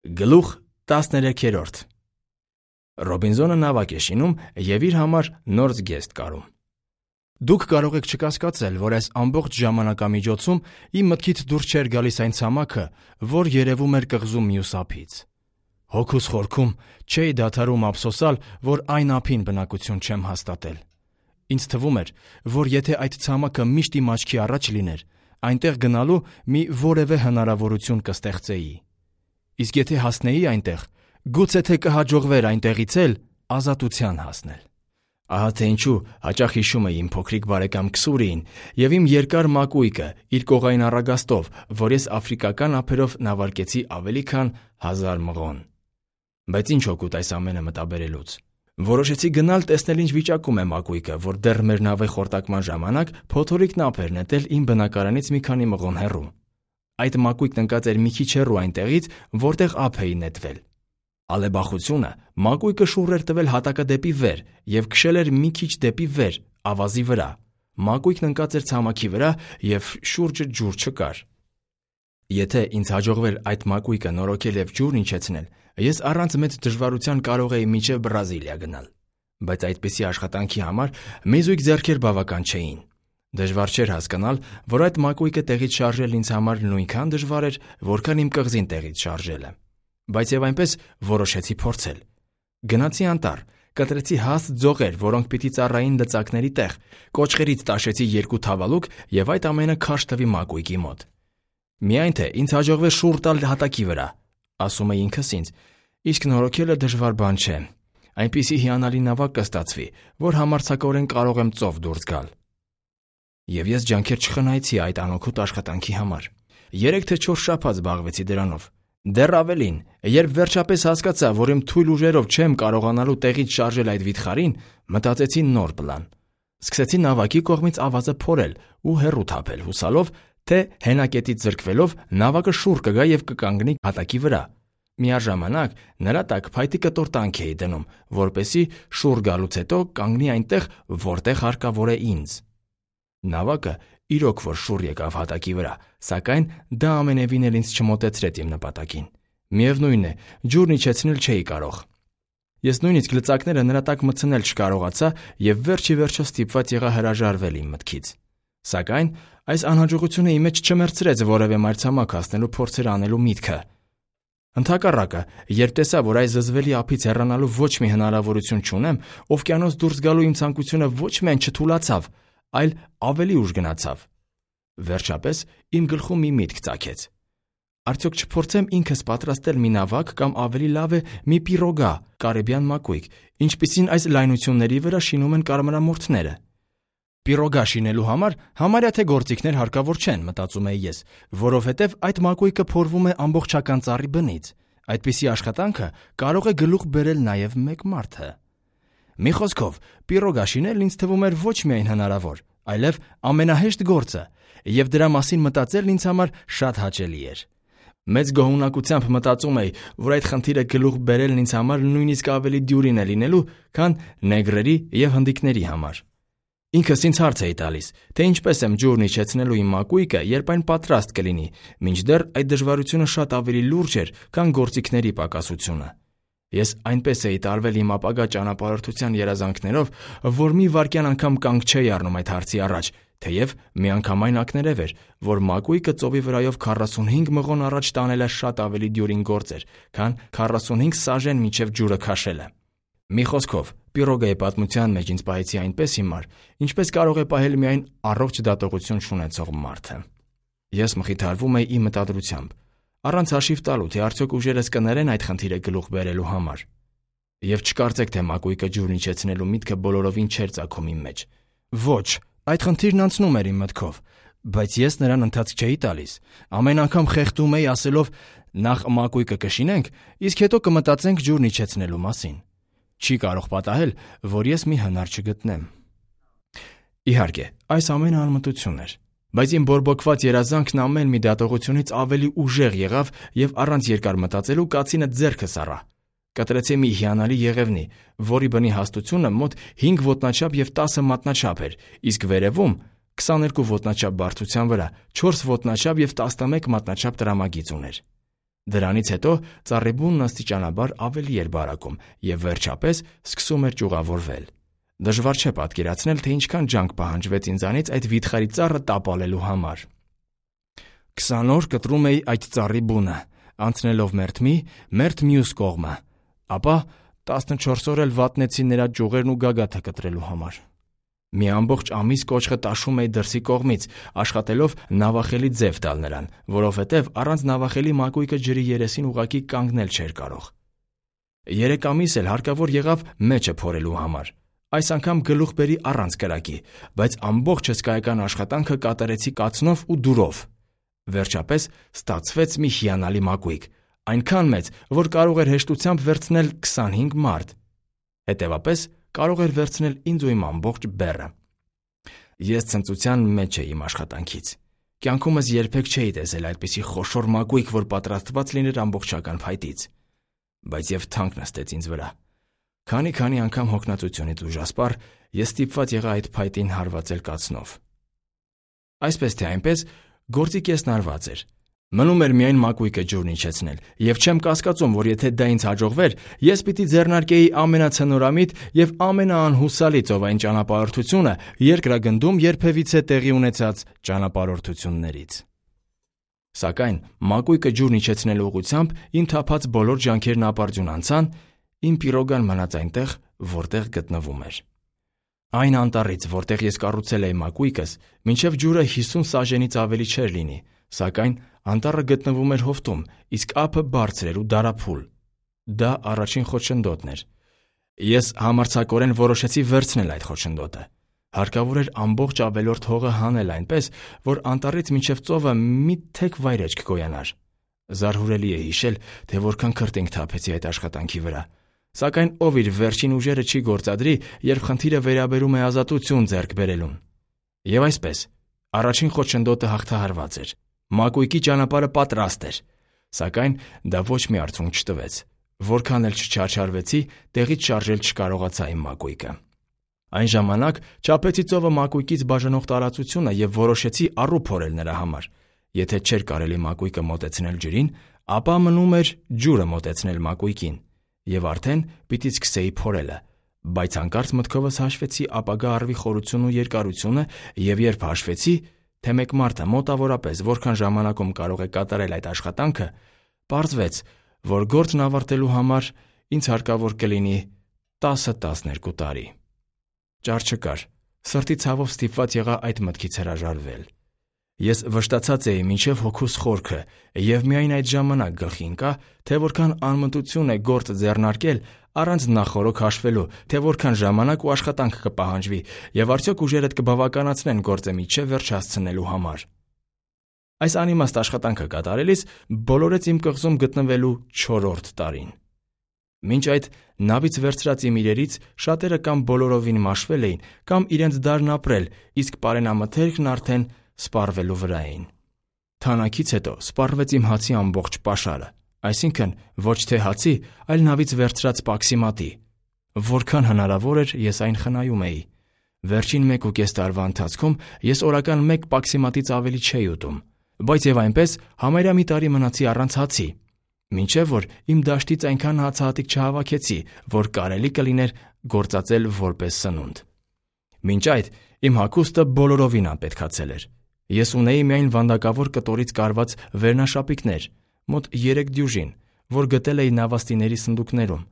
Գլուխ 13 Ռոբինզոնը նավակ է շինում և իր համար նոր զգեստ կարում։ Դուք կարող եք չկասկածել, որ այս ամբողջ ժամանակամիջոցում իմ մտքից դուրս չէր գալիս այն ցամաքը, որ երևում էր կղզում մյուս ափից։ Հոգուս խորքում չէի դադարում ափսոսալ, որ այն ափին բնակություն չեմ հաստատել։ Ինձ թվում էր, որ եթե այդ ցամաքը միշտ իմ աչքի առաջ լիներ, այնտեղ գնալու մի որևէ հնարավորություն կստեղծեի։ Իսկ եթե հասնեի այնտեղ, գուցե թե կհաջողվեր այնտեղից էլ ազատության հասնել։ Ահա թե ինչու հաճախ հիշում էի իմ փոքրիկ բարեկամ Քսուրիին և իմ երկար մակույկը իր կողային առագաստով, որ ես աֆրիկական ափերով նավարկեցի ավելի քան 1000 մղոն։ Բայց ինչ օգուտ այս ամենը մտաբերելուց։ Որոշեցի գնալ տեսնել ինչ վիճակում է մակույկը, որ դեռ մեր նավի խորտակման ժամանակ փոթորիկն ափ էր նետել իմ բնակարանից մի քանի մղոն հեռու։ Այդ մակույկն ընկած էր մի քիչ հեռու այնտեղից, որտեղ ափ էի նետվել։ Ալեբախությունը մակույկը շուռ էր տվել հատակը դեպի վեր և քշել էր մի քիչ դեպի վեր, ավազի վրա։ Մակույկն ընկած էր ցամաքի վրա և շուրջը ջուր չկար։ Եթե ինձ հաջողվեր այդ մակույկը նորոգել և ջուրն իջեցնել, ես առանց մեծ դժվարության կարող էի մինչև Բրազիլիա գնալ։ Բայց այդպիսի աշխատանքի համար մի զույգ ձեռքեր բավական չէին։ Դժվար չէր հասկանալ, որ այդ մակույկը տեղից շարժել ինձ համար նույնքան դժվար էր, որքան իմ կղզին տեղից շարժելը։ Բայց եւ այնպես որոշեցի փորձել։ Գնացի անտառ, կտրեցի հաստ ձողեր, որոնք պիտի ծառային լծակների տեղ, կոճղերից տաշեցի 2 թավալուկ եւ այդ ամենը քաշ տվի մակույկի մոտ։ Միայն թե ինձ հաջողվեց շուռ տալ հատակի վրա, ասում էի ինքս ինձ, իսկ նորոգելը դժվար բան չէ։ Այնպիսի հիանալի նավակ կստացվի, որ համարձակորեն կարող եմ ծով դուրս գալ։ Եվ ես ջանքեր չխնայեցի այդ անօգուտ աշխատանքի համար։ 3 թե 4 շաբաթ զբաղվեցի դրանով։ Դեռ ավելին, երբ վերջապես հասկացա, որ իմ թույլ ուժերով չեմ կարողանալու տեղից շարժել այդ վիթխարին, մտածեցի նոր պլան։ Սկսեցի նավակի կողմից ավազը փորել ու հեռու թափել, հուսալով, թե հենակետից զրկվելով նավակը շուռ կգա և կկանգնի հատակի վրա։ Միաժամանակ նրա տակ փայտի կտոր տանք էի դնում, որպեսզի շուռ գալուց հետո կանգնի այնտեղ, որտեղ հարկավոր է ինձ։ Նավակը իրոք որ շուռ եկավ հատակի վրա, սակայն դա ամենևին էլ ինձ չմոտեցրեց իմ նպատակին։ Միևնույն է, ջուրն իջեցնել չէի կարող։ Ես նույնիսկ լծակները նրա տակ մտցնել չկարողացա և վերջ ի վերջո ստիպված եղա հրաժարվել իմ մտքից։ Սակայն այս անհաջողությունը իմ մեջ չմեռցրեց որևէ մայրցամաք հասնելու փորձեր անելու միտքը։ Ընդհակառակը, երբ տեսա, որ այս զզվելի ափից հեռանալու ոչ մի հնարավորություն չունեմ, օվկիանոս դուրս գալու իմ ցանկությունը ոչ միայն չթուլացավ, այլ ավելի ուժ գնացավ։ Վերջապես իմ գլխում մի միտք ծագեց։ Արդյոք չփորձեմ ինքս պատրաստել մի նավակ կամ ավելի լավ է մի պիրոգա, կարիբյան մակույկ, ինչպիսին այս լայնությունների վրա շինում են կարմրամորթները։ Պիրոգա շինելու համար համարյա թե գործիքներ հարկավոր չեն, մտածում էի ես, որովհետև այդ մակույկը փորվում է ամբողջական ծառի բնից։ Այդպիսի աշխատանքը կարող է գլուխ բերել նաև մեկ մարդը։ Մի խոսքով, պիրոգա շինել ինձ թվում էր ոչ միայն հնարավոր, այլև ամենահեշտ գործը, և դրա մասին մտածելն ինձ համար շատ հաճելի էր։ Մեծ գոհունակությամբ մտածում էի, որ այդ խնդիրը գլուխ բերելն ինձ համար նույնիսկ ավելի դյուրին է լինելու, քան նեգրերի և հնդիկների համար։ Ինքս ինձ հարց էի տալիս, թե ինչպես եմ ջուրն իջեցնելու իմ մակույկը, երբ այն պատրաստ կլինի, մինչդեռ այդ դժվարությունը շատ ավելի լուրջ էր, քան գործիքների պակասությունը։ Ես այնպես էի տարվել իմ ապագա ճանապարհորդության երազանքներով, որ մի վայրկյան անգամ կանգ չէի առնում այդ հարցի առաջ, թեև միանգամայն ակներև էր, որ մակույկը ծովի վրայով 45 մղոն առաջ տանելը շատ ավելի դյուրին գործ էր, քան 45 սաժեն մինչև ջուրը քաշելը։ Մի խոսքով, պիրոգայի պատմության մեջ ինձ պահեցի այնպես հիմար, ինչպես կարող է պահել միայն առողջ դատողություն չունեցող մարդը։ Ես մխիթարվում էի իմ մտադրությամբ, առանց հաշիվ տալու, թե արդյոք ուժերս կներեն այդ խնդիրը գլուխ բերելու համար։ Եվ չկարծեք, թե մակույկը ջուրն իջեցնելու միտքը բոլորովին չէր ծագում իմ մեջ։ Ոչ, այդ խնդիրն անցնում էր իմ մտքով, բայց ես նրան ընթացք չէի տալիս։ Ամեն անգամ խեղդում էի ասելով. նախ մակույկը կշինենք, իսկ հետո կմտածենք ջուրն իջեցնելու մասին։ Չի կարող պատահել, որ ես մի հնար չգտնեմ։ Իհարկե, այս ամենը անմտություն էր, բայց իմ բորբոքված երազանքն ամեն մի դատողությունից ավելի ուժեղ եղավ և առանց երկար մտածելու կացինը ձեռքս առա։ Կտրեցի մի հիանալի եղևնի, որի բնի հաստությունը մոտ 5 ոտնաչափ և 10 մատնաչափ էր, իսկ վերևում 22 ոտնաչափ բարձրության վրա 4 ոտնաչափ և 11 մատնաչափ տրամագիծ ուներ։ Դրանից հետո ծառի բունն աստիճանաբար ավելի էր բարակում և վերջապես սկսում էր ճյուղավորվել։ Դժվար չէ պատկերացնել, թե ինչքան ջանք պահանջվեց ինձանից այդ վիթխարի ծառը տապալելու համար։ 20 օր կտրում էի այդ ծառի բունը, անցնելով մերթ մյուս կողմը, ապա 14 օր էլ վատնեցի նրա ճյուղերն ու գագաթը կտրելու համար։ Մի ամբողջ ամիս կոճղը տաշում էի դրսի կողմից, աշխատելով նավախելի ձև տալ նրան, որովհետև առանց նավախելի մակույկը ջրի երեսին ուղղակի կանգնել չէր կարող։ 3 ամիս էլ հարկավոր եղավ մեջը փորելու համար։ Այս անգամ գլուխ բերի առանց կրակի, բայց ամբողջ հսկայական աշխատանքը կատարեցի կացնով ու դուրով։ Վերջապես ստացվեց մի հիանալի մակույկ, այնքան մեծ, որ կարող էր հեշտությամբ վերցնել 25 մարդ։ Հետևապես կարող էր վերցնել ինձ ու իմ ամբողջ բեռը։ Ես ցնծության մեջ էի իմ աշխատանքից։ Կյանքումս երբեք չէի տեսել այդպիսի խոշոր մակույկ, որ պատրաստված լիներ ամբողջական փայտից։ Բայց եւ թանկ նստեց ինձ վրա։ Քանի անգամ հոգնածությունից ուժասպառ ես ստիպված եղա այդ փայտին հարվածել կացնով։ Այսպես թե այնպես գործի կեսն արված էր։ Մնում էր միայն մակույկը ջուրն իջեցնել, եւ չեմ կասկածում, որ եթե դա ինձ հաջողվեր, ես պիտի ձեռնարկեի ամենացնորամիտ եւ ամենաանհուսալի ծովային ճանապարհորդությունը երկրագնդում երբևիցե տեղի ունեցած ճանապարհորդություններից։ Սակայն մակույկը ջուրն իջեցնելու ուղղությամբ իմ թափած բոլոր ջանքերն ապարդյուն անցան, իմ պիրոգան մնաց այնտեղ, որտեղ գտնվում էր։ Այն անտառից, որտեղ ես կառուցել էի մակույկս, մինչև ջուրը 50 սաժենից ավելի չէր լինի, սակայն անտառը գտնվում էր հովտում, իսկ ափը բարձր էր ու դարափուլ։ Դա առաջին խոչընդոտն էր։ Ես համարձակորեն որոշեցի վերցնել այդ խոչընդոտը։ Հարկավոր էր ամբողջ ավելորդ հողը հանել այնպես, որ անտառից մինչև ծովը մի թեք վայրէջք գոյանար։ Զարհուրելի է հիշել, թե որքան քրտինք թափեցի այդ աշխատանքի վրա։ Սակայն ով իր վերջին ուժերը չի գործադրի, երբ խնդիրը վերաբերում է ազատություն ձեռք բերելուն։ Եվ այսպես, առաջին խոչընդոտը հաղթահարված էր։ Մակույկի ճանապարհը պատրաստ էր, սակայն դա ոչ մի արդյունք չտվեց։ Որքան էլ չչարչարվեցի, տեղից շարժել չկարողացա իմ մակույկը։ Այն ժամանակ չափեցի ծովը մակույկից բաժանող տարածությունը եւ որոշեցի առու փորել նրա համար։ Եթե չէր կարելի մակույկը մոտեցնել ջրին, ապա մնում էր ջուրը մոտեցնել մակույկին, եւ արդեն պիտի սկսեի փորելը, բայց հանկարծ մտքովս հաշվեցի ապագա առվի խորությունն ու երկարությունը եւ երբ հաշվեցի, թե մեկ մարդը մոտավորապես որքան ժամանակում կարող է կատարել այդ աշխատանքը, պարզվեց, որ գործն ավարտելու համար ինձ հարկավոր կլինի 10-12 տարի։ Ճար չկար, սրտի ցավով ստիպված եղա այդ մտքից հրաժարվել։ Ես վշտացած էի մինչև հոգուս խորքը եւ միայն այդ ժամանակ գլխի ընկա, թե որքան անմտություն է գործ ձեռնարկել առանց նախօրոք հաշվելու, թե որքան ժամանակ ու աշխատանք կպահանջվի եւ արդյոք ուժերդ կբավականացնեն գործը միջև վերջ հասցնելու համար։ Այս անիմաստ աշխատանքը կատարելիս բոլորեց իմ կղզում գտնվելու 4-րդ տարին։ Մինչ այդ նավից վերցրած իմ իրերից շատերը կամ բոլորովին մաշվել էին, կամ իրենց դարն ապրել, իսկ պարենամթերքն արդեն սպառվելու վրա էին։ Թանակից հետո սպառվեց իմ հացի ամբողջ պաշարը, այսինքն ոչ թե հացի, այլ նավից վերցրած պաքսիմատի։ Որքան հնարավոր էր, ես այն խնայում էի։ Վերջին 1.5 տարվա ընթացքում ես օրական 1 պաքսիմատից ավելի չէի ուտում, բայց եւ այնպես համարյա մի տարի մնացի առանց հացի, մինչև որ իմ դաշտից այնքան հացահատիկ չհավաքեցի, որ կարելի կլիներ գործածել որպես սնունդ։ Մինչ այդ իմ հագուստը բոլորովին անպետքացել էր։ Ես ունեի միայն վանդակավոր կտորից կարված վերնաշապիկներ, մոտ 3 դյուժին, որ գտել էի նավաստիների սնդուկներում։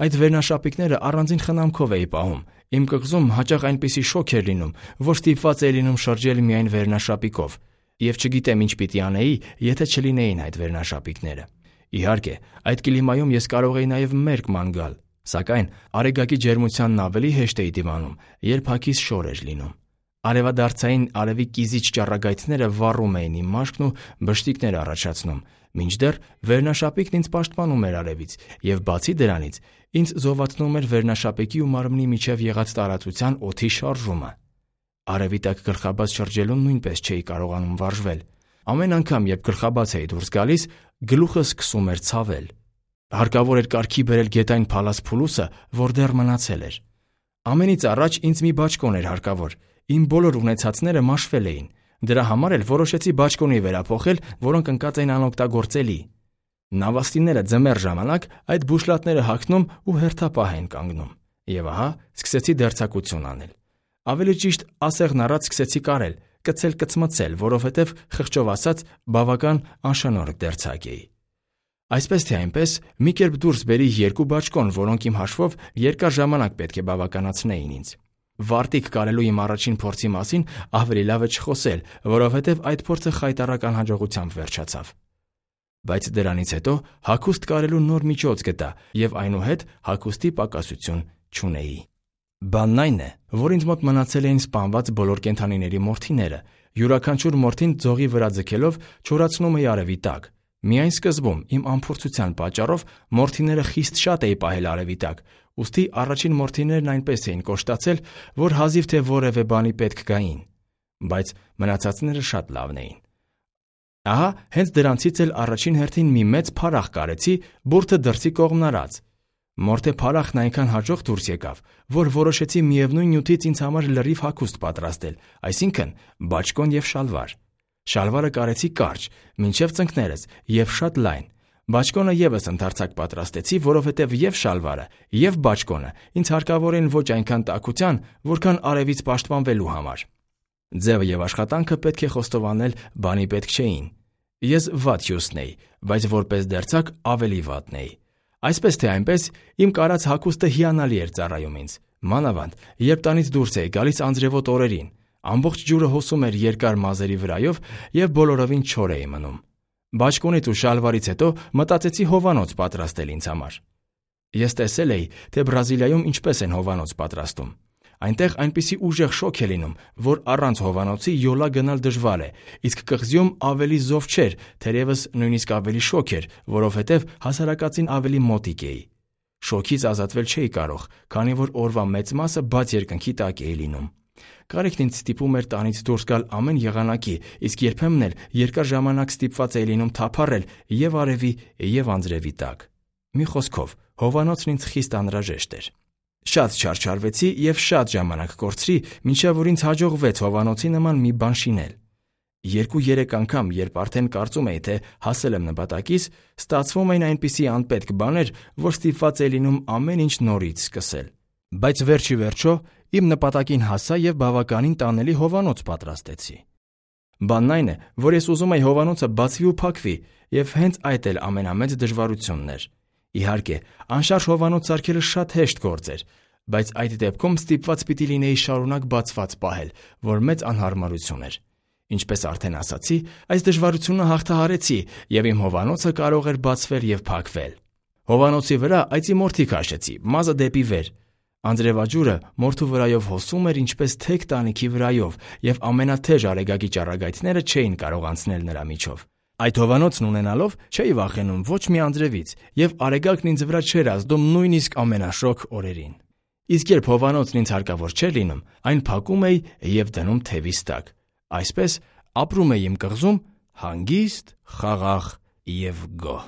Այդ վերնաշապիկները առանձին խնամքով էի պահում։ Իմ կղզում հաճախ այնպիսի շոգ էր լինում, որ ստիպված էի լինում շրջել միայն վերնաշապիկով, եւ չգիտեմ ինչ պիտի անեի, եթե չլինեին այդ վերնաշապիկները։ Իհարկե, այդ կլիմայում ես կարող էի նաեւ մերկ գալ, սակայն արեգակի ջերմությանն ավելի հեշտ էի դիմանում, երբ հագիս շոր էր լինում։ Արևադարձային արևի կիզիչ ճառագայթները վառում էին իմ մաշկն ու բշտիկներ առաջացնում, մինչդեռ վերնաշապիկն ինձ պաշտպանում էր արևից, եւ բացի դրանից ինձ զովացնում էր վերնաշապիկի ու մարմնի միջև եղած տարածության օդի շարժումը։ Արևի տակ գլխաբաց շրջելուն նույնպես չէի կարողանում վարժվել։ Ամեն անգամ, երբ գլխաբաց էի դուրս գալիս, գլուխը սկսում էր ցավել։ Հարկավոր էր կարգի բերել գետային փալաս փուլուսը, որ դեռ մնացել էր։ Ամենից առաջ ինձ մի բաճկոն էր հարկավոր։ Իմ բոլոր ունեցածները մաշվել էին։ Դրա համար էլ որոշեցի բաճկոնի վերափոխել, որոնք ընկած էին անօգտագործելի։ Նավաստիները ձմեռ ժամանակ այդ բուշլատները հագնում ու հերթապահ են կանգնում։ Եվ ահա սկսեցի դերձակություն անել։ Ավելի ճիշտ ասեղն առած սկսեցի կարել, կծել, որովհետև խղճով ասած բավական անշնորհք դերձակ էի։ Այսպես թե այնպես մի կերպ դուրս բերի 2 բաճկոն, որոնք իմ հաշվով երկար ժամանակ պետք է բավականացնեին ինձ։ Վարտիք կարելու իմ առաջին փորձի մասին ավելի լավ է չխոսել, որովհետև այդ փորձը խայտառական հաջողությամբ վերջացավ։ Բայց դրանից հետո հագուստ կարելու նոր միջոց գտա եւ այնուհետ հագուստի պակասություն չունեի։ Բանն այն է, որ ինձ մոտ մնացել էին սպանված բոլոր կենդանիների մորթիները, յուրաքանչյուր մորթին ձողի վրա ձգելով չորացնում էի արևի տակ։ Միայն սկզբում իմ անփորձության պատճառով մորթիները խիստ շատ էի պահել արևի տակ, ուստի առաջին մորթիներն այնպես էին կոշտացել, որ հազիվ թե որևէ բանի պետք գային, բայց մնացածները շատ լավն էին։ Ահա հենց դրանցից էլ առաջին հերթին մի մեծ փարախ կարեցի, բուրդը դրսի կողմն արած։ Մորթե փարախն այնքան հաջող դուրս եկավ, որ որոշեցի միևնույն նյութից ինձ համար լրիվ հագուստ պատրաստել, այսինքն բաճկոն եւ շալվար։ Շալվարը կարեցի կարճ, մինչև ծնկներս եւ շատ լայն։ Բաճկոնը եւս ընդարձակ պատրաստեցի, որովհետեւ եւ շալվարը, եւ բաճկոնը ինձ հարկավոր են ոչ այնքան տաքության, որքան արևից պաշտպանվելու համար։ Ձևը եւ աշխատանքը պետք է խոստովանել բանի պետք չէին։ Ես վատ հյուսն էի, բայց որպես դերձակ ավելի վատն էի։ Այսպես թե այնպես իմ կարած հագուստը հիանալի էր ծառայում ինձ, մանավանդ երբ տանից դուրս էի գալիս անձրևոտ օրերին, ամբողջ ջուրը հոսում էր երկար մազերի վրայով եւ բոլորովին չոր էի մնում։ Բաճկոնից ու շալվարից հետո մտածեցի հովանոց պատրաստել ինձ համար։ Ես տեսել էի, թե Բրազիլիայում ինչպես են հովանոց պատրաստում։ Այնտեղ այնպիսի ուժեղ շոգ է լինում, որ առանց հովանոցի յոլա գնալ դժվար է, իսկ կղզիում ավելի զով չէր, թերևս նույնիսկ ավելի շոգ էր, որովհետև հասարակածին ավելի մոտիկ էի։ Շոգից ազատվել չէի կարող, քանի որ օրվա մեծ մասը բաց երկնքի տակ էի լինում։ Կարիքն ինձ ստիպում էր տանից դուրս գալ ամեն եղանակի, իսկ երբեմն էլ երկար ժամանակ ստիպված էի լինում թափառել եւ արևի եւ անձրևի տակ։ Մի խոսքով, հովանոցն ինձ խիստ անհրաժեշտ էր։ Շատ չարչարվեցի եւ շատ ժամանակ կորցրի, մինչեւ որ ինձ հաջողվեց հովանոցի նման մի բան շինել։ 2-3 անգամ, երբ արդեն կարծում էի, թե հասել եմ նպատակիս, ստացվում էին այնպիսի անպետք բաներ, որ ստիպված էի լինում ամեն ինչ նորից սկսել։ Բայց վերջի վերջո իմ նպատակին հասա եւ բավականին տանելի հովանոց պատրաստեցի։ Բանն այն է, որ ես ուզում էի հովանոցը բացվի ու փակվի, եւ հենց այդ էլ ամենամեծ դժվարությունն էր։ Իհարկե, անշարժ հովանոց սարքելը շատ հեշտ գործ էր, բայց այդ դեպքում ստիպված պիտի լինեի շարունակ բացված պահել, որ մեծ անհարմարություն էր։ Ինչպես արդեն ասացի, այս դժվարությունը հաղթահարեցի եւ իմ հովանոցը կարող էր բացվել եւ փակվել։ Հովանոցի վրա այծի մորթի քաշեցի, մազը դեպի վեր։ Անձրևաջուրը մորթու վրայով հոսում էր ինչպես թեք տանիքի վրայով, եւ ամենաթեժ արեգակի ճառագայթները չէին կարող անցնել նրա միջով։ Այդ հովանոցն ունենալով չէի վախենում ոչ մի անձրևից, եւ արեգակն ինձ վրա չէր ազդում նույնիսկ ամենաշոգ օրերին։ Իսկ երբ հովանոցն ինձ հարկավոր չէր լինում, այն փակում էի եւ դնում թևիս տակ։ Այսպես ապրում էի իմ կղզում հանգիստ, խաղաղ եւ գոհ։